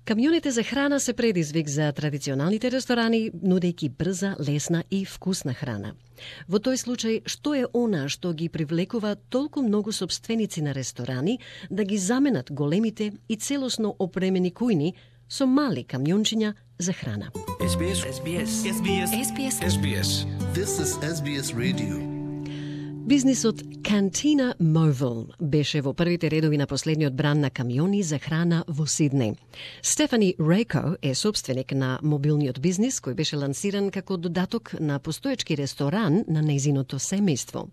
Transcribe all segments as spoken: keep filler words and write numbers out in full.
Камионите за храна се предизвик за традиционалните ресторани, нудејќи брза, лесна и вкусна храна. Во тој случај, што е она што ги привлекува толку многу собственици на ресторани да ги заменат големите и целосно опремени кујни со мали камиончиња за храна? Ес Би Ес. Ес Би Ес. Ес Би Ес. Ес Би Ес. Ес Би Ес. This is Ес Би Ес Radio. Бизнисот Cantina Mobile беше во првите редови на последниот бран на камиони за храна во Сиднеј. Стефани Рейко е собственик на мобилниот бизнис кој беше лансиран како додаток на постоечки ресторан на нејзиното семејство.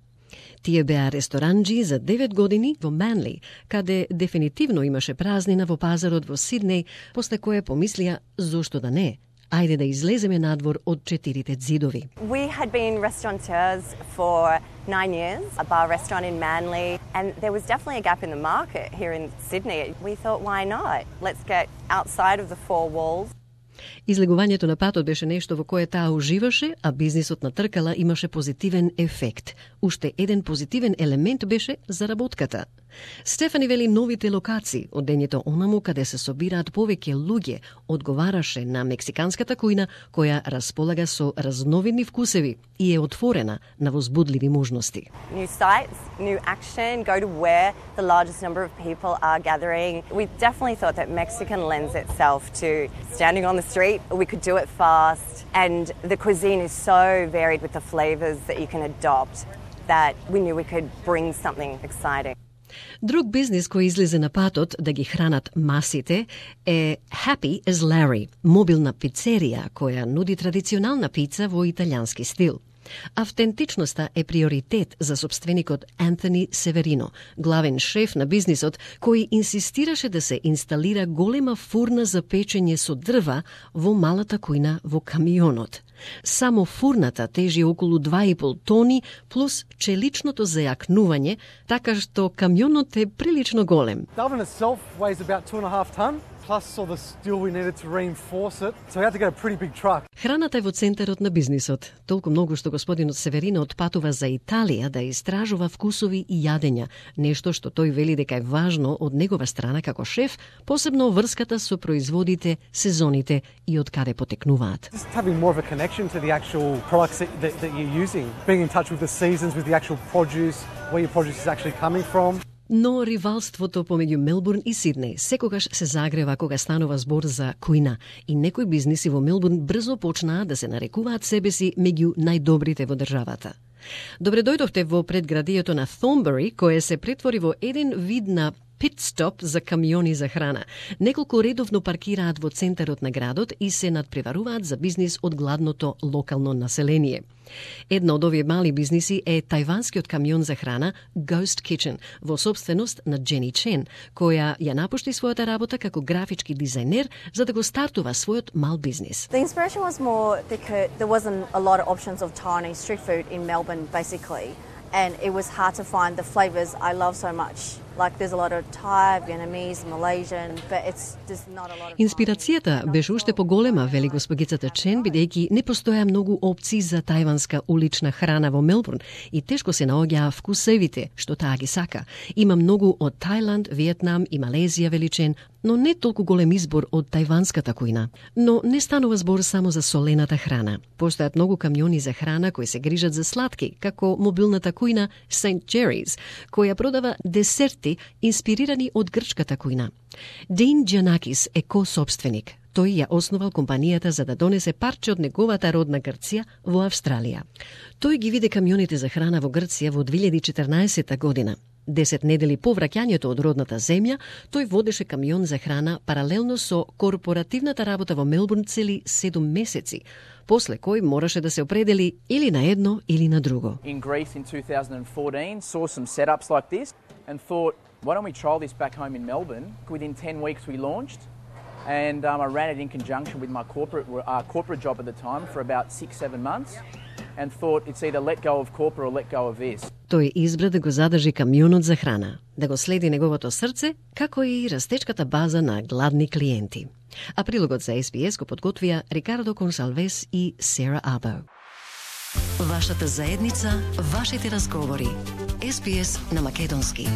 Тие беа ресторанџи за девет години во Манли, каде дефинитивно имаше празнина во пазарот во Сиднеј, после кое помислија зошто да не. Ајде да излеземе надвор од четирите ѕидови. We had been restaurateurs for nine years, a bar restaurant in Manly, and there was definitely a gap in the market here in Sydney. We thought, why not? Let's get outside of the four walls. Излегувањето на патот беше нешто во кое таа уживаше, а бизнисот на тркала имаше позитивен ефект. Уште еден позитивен елемент беше заработката. Стефани вели новите локации, од дењето онаму каде се собираат повеќе луѓе, одговараше на мексиканската кујна која располага со разновидни вкусеви и е отворена на возбудливи можности. New sites, new action, go to where the largest number of people are gathering. We definitely thought that Mexican lends itself to standing on the street. We could do it fast, and the cuisine is so varied with the flavors that you can adopt that we knew we could bring something exciting. Друг бизнис кој излезе на патот да ги хранат масите е Happy as Larry, мобилна пицерија која нуди традиционална пица во италијански стил. Автентичноста е приоритет за собственикот Антони Северино, главен шеф на бизнисот, кој инсистираше да се инсталира голема фурна за печење со дрва во малата кујна во камионот. Само фурната тежи околу два и пол тони, плюс челичното зајакнување, така што камионот е прилично голем. The oven itself weighs about two and a half ton, plus all the steel we needed to reinforce it, so we had to get a pretty big truck. Храната е во центарот на бизнисот. Толку многу што господинот Северино отпатува за Италија да истражува вкусови и јадења, нешто што тој вели дека е важно од негова страна како шеф, посебно врската со производите, сезоните и од каде потекнуваат. Just having more of a connection to the actual products that, that, that you're using, being in touch with the seasons, with the actual produce, where your produce is actually coming from. Но ривалството помеѓу Мелбурн и Сиднеј секогаш се загрева кога станува збор за кујна и некои бизниси во Мелбурн брзо почнаа да се нарекуваат себе си меѓу најдобрите во државата. Добре дојдовте во предградието на Thornbury, кое се претвори во еден вид на пит-стоп за камиони за храна. Неколку редовно паркираат во центарот на градот и се надпреваруваат за бизнис од гладното локално население. Една од овие мали бизниси е тајванскиот камион за храна Ghost Kitchen, во собственост на Джени Чен, која ја напушти својата работа како графички дизајнер за да го стартува својот мал бизнис. The inspiration was more because there wasn't a lot of options of Chinese street food in Melbourne, basically, and it was hard to find the flavors I love so much. Like there's a lot of Thai, Vietnamese, Malaysian, but it's just not a lot of. Инспирацијата беше уште поголема, вели госпогицата Чен, бидејќи не постоја многу опции за тајванска улична храна во Мелбурн и тешко се наоѓаа вкусевите што таа ги сака. Има многу од Тајланд, Виетнам и Малезија, вели Чен, но не толку голем избор од тајванската кујна. Но не станува збор само за солената храна. Постојат многу камиони за храна кои се грижат за сладки, како мобилната кујна Saint Jerry's, која продава десерти инспирирани од грчката кујна. Дин Джанакис е ко-собственик. Тој ја основал компанијата за да донесе парче од неговата родна Грција во Австралија. Тој ги виде камионите за храна во Грција во две илјади и четрнаесета година. Десет недели по враќањето од родната земја, тој водеше камион за храна паралелно со корпоративната работа во Мелбурн цели седум месеци, после кој мораше да се определи или на едно или на друго. In Greece in two thousand fourteen saw some setups like this and thought, why don't we trial this back home in Melbourne? Within ten weeks we launched, and um, I ran it in conjunction with my corporate uh, corporate job at the time for about six seven months. And thought it's either let go of corporate or let go of this. Тој избра да го задржи камионот за храна, да го следи неговото срце, како и растечката база на гладни клиенти. А прилогот за Ес Би Ес го подготвија Рикардо Консалвес и Сера Або. Вашата заедница, вашите разговори. Ес Би Ес на македонски.